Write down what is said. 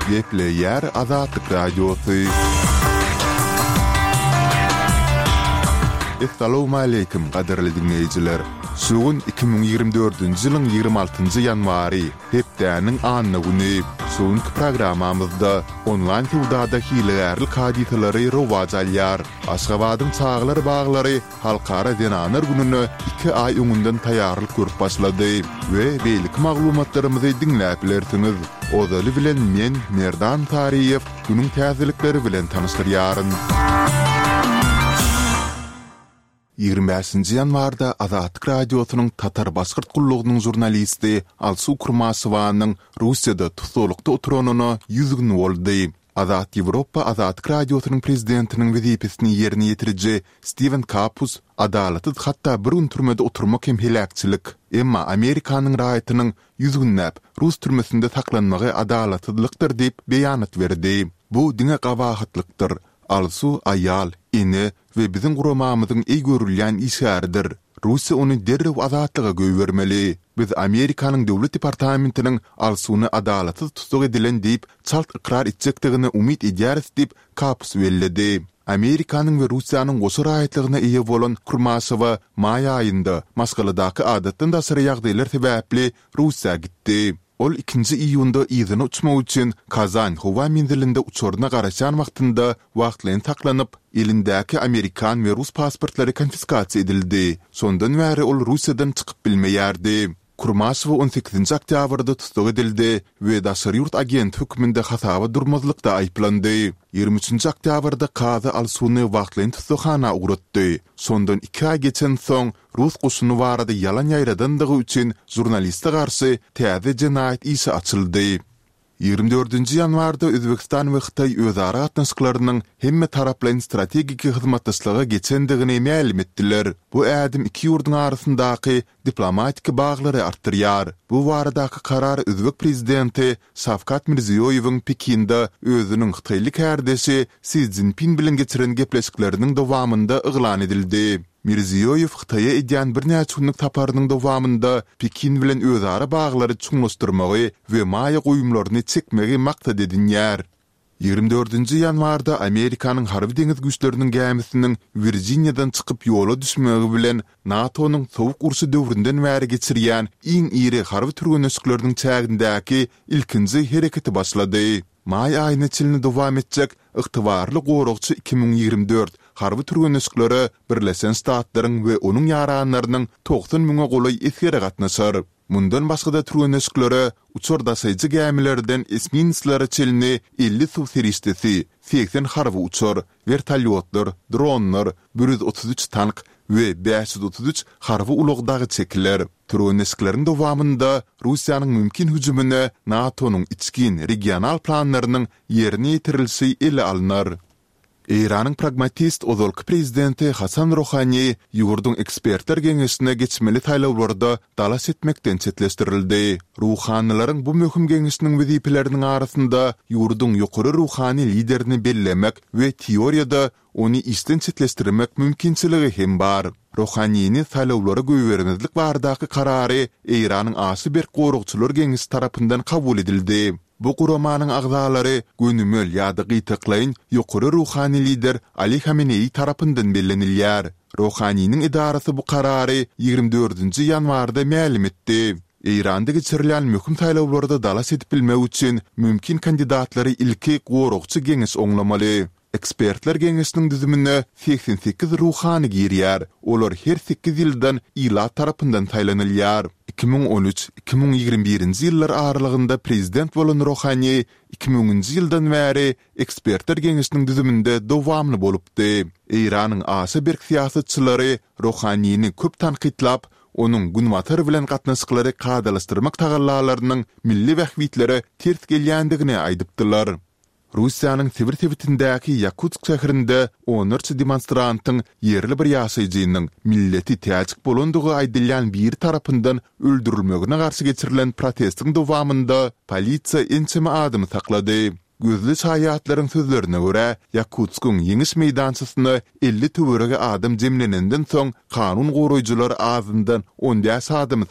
Gepleýär Azatlyk Radiosy. Essalawmaleýkim, gadyrly diňleýjiler! Şu gün 2024-nji ýylyň 26-njy ýanwary, hepdäniň anna güni. Şu günki programmamyzda onlaýn söwdada hilegärlik hadysalary rowaç alýar. Aşgabadyň çagalar baglary Halkara zenanlar gününe iki aý öňünden taýýarlyk görüp başlady we beýleki maglumatlarymyzy diňläp bilersiňiz. Ozaly bilen men, Merdan Saryýew, günüň täzelikleri bilen tanyşdyrýaryn. 25-nji ýanwarda Azatlyk Radiosynyň Tatar-Başgyrt gullugynyň žurnalisti Alsu Kurmaşewanyň Russiýada tussaglykda oturanyna 100 gün boldy. Azat Ýewropa Azatlyk Radiosynyň prezidentiniň wezipesini ýerine ýetiriji Stiwen Kapus, Adalatsyz hatda bir gün türmede oturmak hem heläkçilik. Emma Amerikanyň raýatynyň ýüz günläp rus türmesinde saklanmagy adalatsyzlykdyr diýip beýanat berdi. Bu diňe gabahatlykdyr. Alsu aýal, ene we biziň guramamyzyň eý görülýän işgäridir. Russiýa ony derrew azatlyga goýbermeli. Biz Amerikanyň Döwlet departamentiniň Alsuny adalatsyz tussag edilen diýip çalt ykrar etjekdigine umyt edýäris diýip, Kapus belledi. Amerikanyň we Russiýanyň goşa raýatlygyna eýe bolan Kurmaşewa maý aýynda maşgaladaky adatdan daşary ýagdaýlar sebäpli Russiýa gitdi. Ol ikinji iýunda yzyna uçmak üçin Kazan howa menzilinde uçaryna garaşýan wagtynda wagtlaýyn saklanyp, elindäki amerikan we rus pasportlary konfiskasiýa edildi. Şondan bäri ol Russiýadan çykyp bilmeýärdi. Kurmaşewa on sekizinji oktýabrda tussag edildi we daşary ýurt agenti hökmünde hasaba durmazlykda aýyplandy. Ýigrimi üçünji oktýabrda kazy Alsuny wagtlaýyn tussaghana ugratdy. Şondan iki aý geçensoň, rus goşuny barada ýalan ýaýradandygy üçin žurnaliste garşy täze jenaýat işi açyldy. Ýigrimi dördünji ýanwarda Özbegistan we Hytaý özara gatnaşyklarynyň hemmetaraplaýyn strategik hyzmatdaşlyga geçendigini mälim etdiler. Bu ädim iki ýurduň arasyndaky diplomatik baglary artdyrýar. Bu baradaky karar özbek prezidenti Şawkat Mirziýoýewiň Pekinde özüniň hytaýly kärdeşi Si Szinpin bilen geçiren gepleşikleriniň dowamynda yglan edildi. Mirziýoýew Hytaýa edýän birnäçe günlük saparynyň dowamynda Pekin bilen özara baglary çuňlaşdyrmagy we maýa goýumlaryny çekmegi maksat edinýär. Ýigrimi dördünji ýanwarda Amerikanyň Harby-deňiz güýçleriniň gämisiniň Wirjiniýadan çykyp ýola düşmegi bilen NATO-nyň Sowuk urşy döwründen bäri geçirýän iň iri harby türgenleşikleriniň çägindäki ilkinji hereketi başlady. Maý aýyna çenli dowam etjek Ygtybarly goragçy 2024 harby türgenleşiklere Birleşen Ştatlaryň we onuň ýaranlarynyň 90 müňe golaý esgeri gatnaşar. Mundan başga-da türgenleşiklere uçar daşaýjy gämilerden esminslere çenli 50 suw serişdesi, 80 harby uçar, wertolýotlar, dronlar, 133 tank we 533 harby ulag dagy çekiler. Türgenleşikleriň dowamynda Russiýanyň mümkin hüjümine NATO-nyň içgin regional planlarynyň ýerine ýetirilişi ele alnar. Eýranyň pragmatist ozalky prezidenti Hasan Rohani ýurduň ekspertler geňeşine geçmeli saýlawlarda dalaş etmekden çetleşdirildi. Ruhanylaryň bu möhüm geňeşiniň wezipeleriniň arasynda ýurduň ýokary ruhany liderini bellemek we teoriýada ony işden çetleşdirmek mümkinçiligi hem bar. Rohanini saýlawlara goýbermezlik baradaky karary Eýranyň aşa berk goragçylar geňeşi tarapyndan kabul edildi. Bu guramanyň agzalary gönümel ýa-da gytaklaýyn ýokary ruhany lider Ali Hameneýi tarapyndan bellenilýär. Rohaniniň edarasy bu karary ýigrimi dördünji ýanwarda mälim etdi. Eýranda geçirilýän möhüm saýlawlarda dalaş edip bilmek üçin mümkin kandidatlary ilki goragçy geňeş oňlamaly. Ekspertler geňeşiniň düzümine 88 ruhany girýär, olar her sekiz ýyldan ilat tarapyndan saýlanylýar. 2013, 2021-nji ýyllar aralygynda prezident bolan Rohani iki müňünji ýyldan bäri Ekspertler geňeşiniň düzüminde dowamly bolupdy. Eýranyň aşa berk syýasatçylary Rohanini köp tankytlap, onuň Günbatar bilen gatnaşyklary kadalaşdyrmak tagallalarynyň milli bähbitlere ters gelýändigini aýdypdylar. Russiýanyň Sibir sebitindäki Ýakutsk şäherinde onlarça demonstrantyň ýerli bir ýaşaýjynyň milleti täjik bolandygy aýdylýan biri tarapyndan öldürilmegine garşy geçirilen protestiň dowamynda polisiýa ençeme adamy saklady. Gözli şaýatlaryň sözlerine görä, Ýakutskyň Ýeňiş meýdançasyna 50 töweregi adam jemlenenden soň kanun goraýjylar azyndan on bäş adamy.